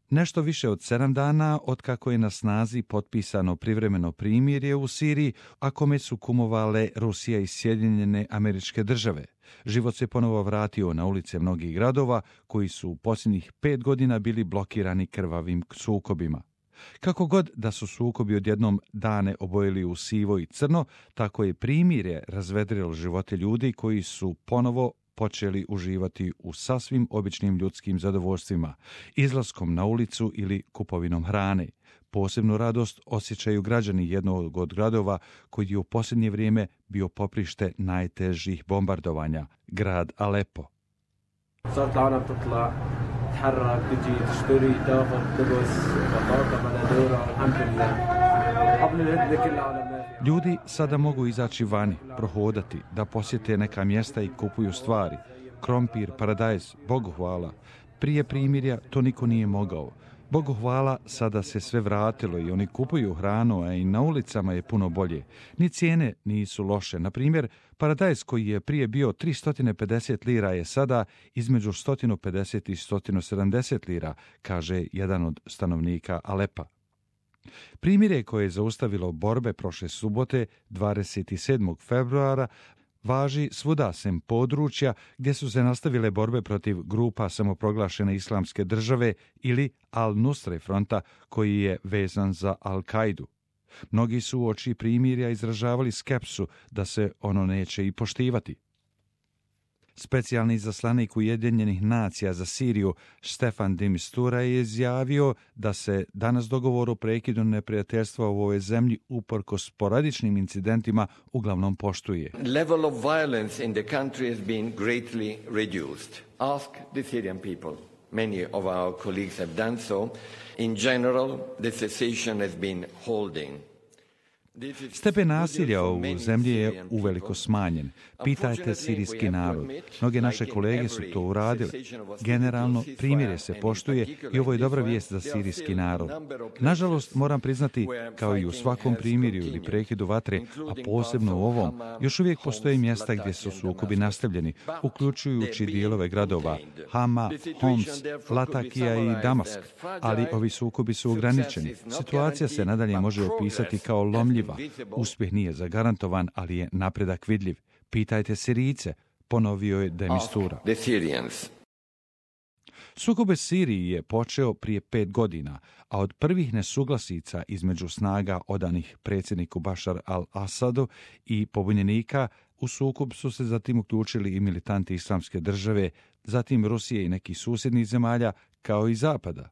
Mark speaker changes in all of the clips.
Speaker 1: Nešto više od 7 dana otkako je na snazi potpisano privremeno primirje u Siriji, a kome su kumovale Rusija i Sjedinjene Američke Države. Život se ponovo vratio na ulice mnogih gradova koji su u posljednjih 5 godina bili blokirani krvavim sukobima. Kako god da su sukobi odjednom dane obojili u sivo i crno, tako je primirje razvedrilo živote ljudi koji su ponovo počeli uživati u sasvim običnim ljudskim zadovoljstvima, izlaskom na ulicu ili kupovinom hrane. Posebnu radost osjećaju građani jednog od gradova koji je u posljednje vrijeme bio poprište najtežih bombardovanja, grad Alepo. Ljudi sada mogu izaći vani, prohodati, da posjete neka mjesta i kupuju stvari. Krompir, paradajz, Bogu hvala. Prije primirja to niko nije mogao. Bogu hvala, sada se sve vratilo i oni kupuju hranu, a i na ulicama je puno bolje. Ni cijene nisu loše. Na primjer, paradajz koji je prije bio 350 lira je sada između 150 i 170 lira, kaže jedan od stanovnika Alepa. Primirje koje je zaustavilo borbe prošle subote, 27. februara, važi svuda sem područja gdje su se nastavile borbe protiv grupa samoproglašene islamske države ili Al-Nusre fronta koji je vezan za Al-Kaidu. Mnogi su uoči primirja izražavali skepsu da se ono neće i poštivati. Specijalni izaslanik Ujedinjenih nacija za Siriju Stefan de Mistura je izjavio da se danas dogovor o prekidu neprijateljstva u ovoj zemlji uprkos sporadičnim incidentima uglavnom poštuje.
Speaker 2: Level of violence in the country has been greatly reduced. Ask the Syrian people. Many of our colleagues have done so. In general, the cessation has been holding.
Speaker 1: Stepen nasilja u zemlji je uveliko smanjen. Pitajte sirijski narod. Mnoge naše kolege su to uradile. Generalno, primirje se poštuje i ovo je dobra vijest za sirijski narod. Nažalost, moram priznati, kao i u svakom primirju ili prekidu vatre, a posebno u ovom, još uvijek postoje mjesta gdje su sukobi nastavljeni, uključujući dijelove gradova Hama, Homs, Latakija i Damask, ali ovi sukobi su ograničeni. Situacija se nadalje može opisati kao lomljiva. Uspjeh nije zagarantovan, ali je napredak vidljiv. Pitajte Sirijce, ponovio je de Mistura. Sukob u Siriji je počeo prije 5 godina, a od prvih nesuglasica između snaga odanih predsjedniku Bašar al-Asadu i pobunjenika u sukob su se zatim uključili i militanti islamske države, zatim Rusije i nekih susjednih zemalja, kao i Zapada.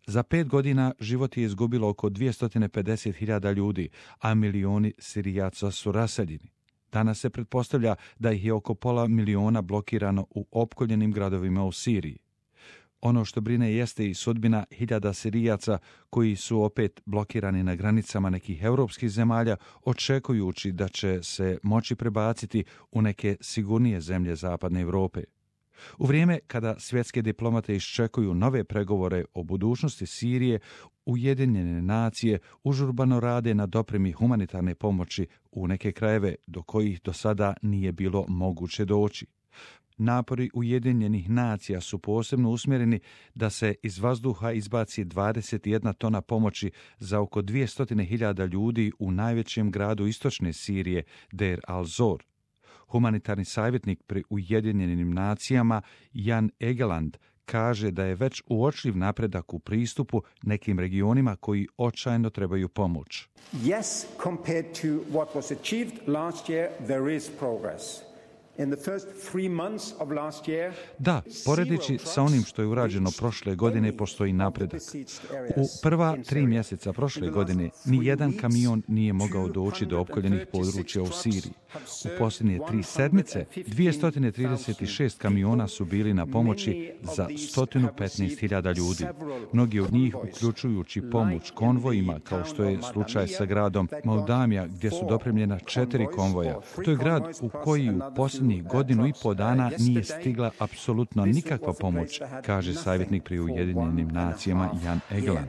Speaker 1: Za 5 godina život je izgubilo oko 250.000 ljudi, a milioni Sirijaca su raseljeni. Danas se pretpostavlja da ih je oko 500.000 blokirano u opkoljenim gradovima u Siriji. Ono što brine jeste i sudbina hiljada Sirijaca koji su opet blokirani na granicama nekih europskih zemalja, očekujući da će se moći prebaciti u neke sigurnije zemlje zapadne Europe. U vrijeme kada svjetske diplomate iščekuju nove pregovore o budućnosti Sirije, Ujedinjene nacije užurbano rade na dopremi humanitarne pomoći u neke krajeve do kojih do sada nije bilo moguće doći. Napori Ujedinjenih nacija su posebno usmjereni da se iz vazduha izbaci 21 tona pomoći za oko 200.000 ljudi u najvećem gradu istočne Sirije, Deir al-Zor. Humanitarni savjetnik pri Ujedinjenim nacijama Jan Egeland kaže da je već uočljiv napredak u pristupu nekim regionima koji očajno trebaju pomoć.
Speaker 3: Yes, compared to what was achieved last year, there is progress.
Speaker 1: Da, poredeći sa onim što je urađeno prošle godine, postoji napredak. U prva 3 mjeseca prošle godine nijedan kamion nije mogao doći do opkoljenih područja u Siriji. U posljednje 3 sedmice 236 kamiona su bili na pomoći za 115.000 ljudi. Mnogi od njih, uključujući pomoć konvojima, kao što je slučaj sa gradom Moldamija, gdje su dopremljena 4 konvoja. To je grad u koji u posljednjih 1,5 dana nije stigla apsolutno nikakva pomoć, kaže savjetnik pri Ujedinjenim nacijama Jan Egeland.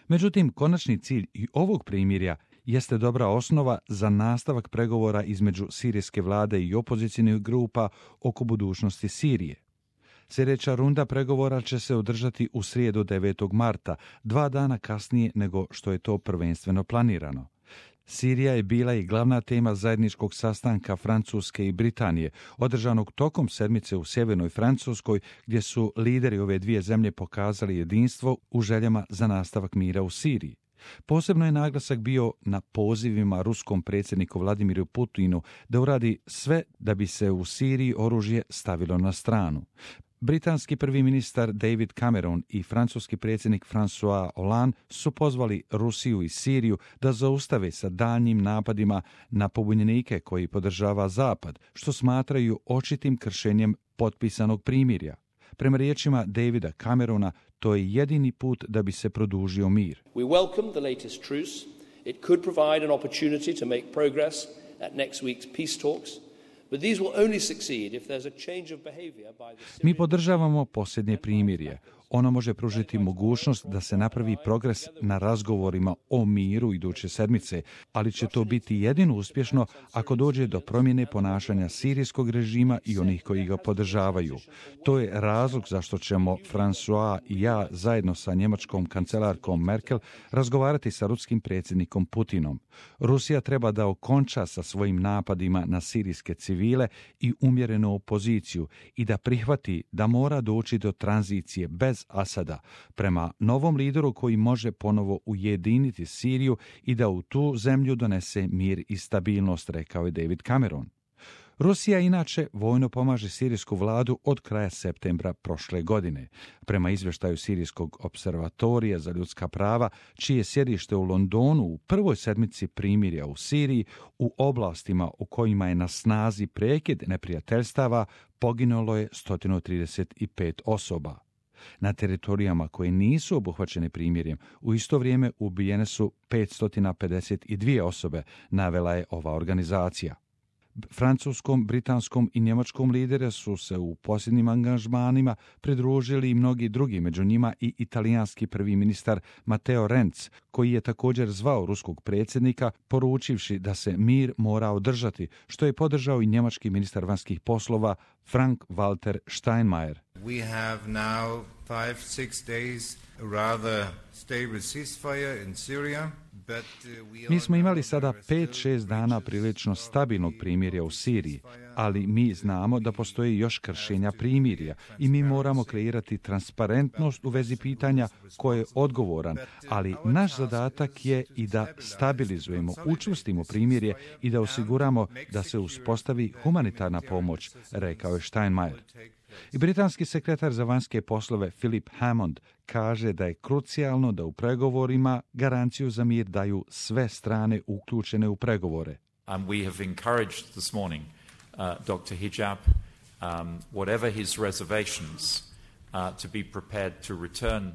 Speaker 1: Međutim, konačni cilj i ovog primirja jeste dobra osnova za nastavak pregovora između sirijske vlade i opozicijnih grupa oko budućnosti Sirije. Sljedeća runda pregovora će se održati u srijedu 9. marta, 2 dana kasnije nego što je to prvenstveno planirano. Sirija je bila i glavna tema zajedničkog sastanka Francuske i Britanije, održanog tokom sedmice u sjevernoj Francuskoj, gdje su lideri ove dvije zemlje pokazali jedinstvo u željama za nastavak mira u Siriji. Posebno je naglasak bio na pozivima ruskom predsjedniku Vladimiru Putinu da uradi sve da bi se u Siriji oružje stavilo na stranu. Britanski prvi ministar David Cameron i francuski predsjednik François Hollande su pozvali Rusiju i Siriju da zaustave sa daljnjim napadima na pobunjenike koji podržava Zapad, što smatraju očitim kršenjem potpisanog primirja. Prema riječima Davida Camerona, to je jedini put da bi se produžio mir.
Speaker 4: We welcome the latest truce. It could provide an opportunity to make progress at next week's peace talks. But these will only succeed if there's a change of behavior by the Syrian...
Speaker 1: Mi podržavamo posljednje primirje. Ono može pružiti mogućnost da se napravi progres na razgovorima o miru iduće sedmice, ali će to biti jedino uspješno ako dođe do promjene ponašanja sirijskog režima i onih koji ga podržavaju. To je razlog zašto ćemo François i ja zajedno sa njemačkom kancelarkom Merkel razgovarati sa ruskim predsjednikom Putinom. Rusija treba da okonča sa svojim napadima na sirijske civile i umjerenu opoziciju i da prihvati da mora doći do tranzicije bez Asada prema novom lideru koji može ponovo ujediniti Siriju i da u tu zemlju donese mir i stabilnost, rekao je David Cameron. Rusija inače vojno pomaže sirijsku vladu od kraja septembra prošle godine. Prema izvještaju Sirijskog observatorija za ljudska prava, čije sjedište u Londonu u prvoj sedmici primirja u Siriji, u oblastima u kojima je na snazi prekid neprijateljstava, poginulo je 135 osoba. Na teritorijama koje nisu obuhvaćene primirjem, u isto vrijeme ubijene su 552 osobe, navela je ova organizacija. Francuskom, britanskom i njemačkom lidere su se u posljednjim angažmanima pridružili i mnogi drugi, među njima i italijanski prvi ministar Matteo Renzi, koji je također zvao ruskog predsjednika, poručivši da se mir mora održati, što je podržao i njemački ministar vanjskih poslova Frank-Walter Steinmeier.
Speaker 5: We have now 5-6 days rather stable ceasefire in Syria.
Speaker 1: Mi smo imali sada 5-6 dana prilično stabilnog primirja u Siriji, ali mi znamo da postoji još kršenja primirja i mi moramo kreirati transparentnost u vezi pitanja ko je odgovoran, ali naš zadatak je i da stabilizujemo, učvrstimo primirje i da osiguramo da se uspostavi humanitarna pomoć, rekao je Steinmeier. I britanski sekretar za vanjske poslove Philip Hammond kaže da je krucijalno da u pregovorima garanciju za mir daju sve strane uključene u pregovore.
Speaker 6: We have encouraged this morning Dr. Hijab, whatever his reservations, to be prepared to return.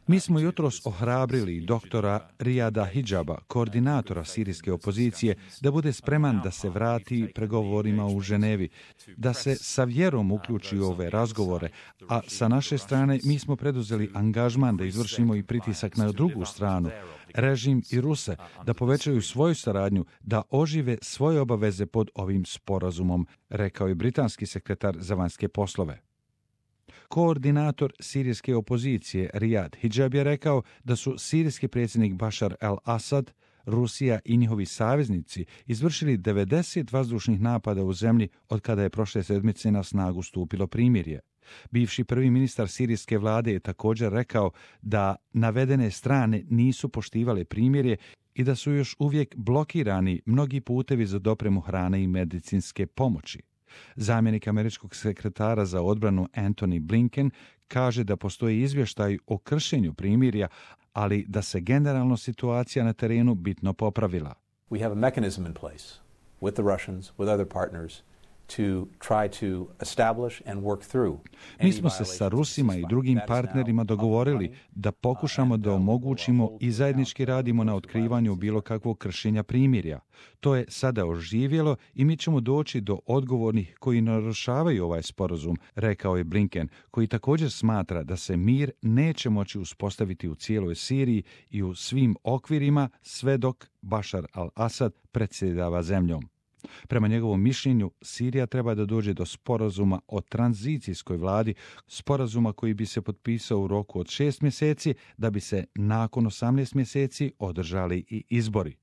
Speaker 1: Mi smo jutros ohrabrili doktora Riyada Hijaba, koordinatora sirijske opozicije, da bude spreman da se vrati pregovorima u Ženevi, da se sa vjerom uključi u ove razgovore, a sa naše strane mi smo preduzeli angažman da izvršimo i pritisak na drugu stranu, režim i Ruse, da povećaju svoju saradnju, da ožive svoje obaveze pod ovim sporazumom, rekao je britanski sekretar za vanjske poslove. Koordinator sirijske opozicije Riyad Hijab je rekao da su sirijski predsjednik Bashar al-Assad, Rusija i njihovi saveznici izvršili 90 vazdušnih napada u zemlji od kada je prošle sedmice na snagu stupilo primirje. Bivši prvi ministar sirijske vlade je također rekao da navedene strane nisu poštivale primirje i da su još uvijek blokirani mnogi putevi za dopremu hrane i medicinske pomoći. Zamjenik američkog sekretara za odbranu Antony Blinken kaže da postoji izvještaj o kršenju primirja, ali da se generalno situacija na terenu bitno popravila.
Speaker 7: We have a mechanism in place with the Russians, with other partners, to try to establish and work through.
Speaker 1: Mi smo se sa Rusima i drugim partnerima dogovorili da pokušamo da omogućimo i zajednički radimo na otkrivanju bilo kakvog kršenja primirja. To je sada oživjelo i mi ćemo doći do odgovornih koji narušavaju ovaj sporazum, rekao je Blinken, koji također smatra da se mir neće moći uspostaviti u cijeloj Siriji i u svim okvirima sve dok Bashar al-Assad predsjedava zemljom. Prema njegovom mišljenju, Sirija treba da dođe do sporazuma o tranzicijskoj vladi, sporazuma koji bi se potpisao u roku od 6 mjeseci, da bi se nakon 18 mjeseci održali i izbori.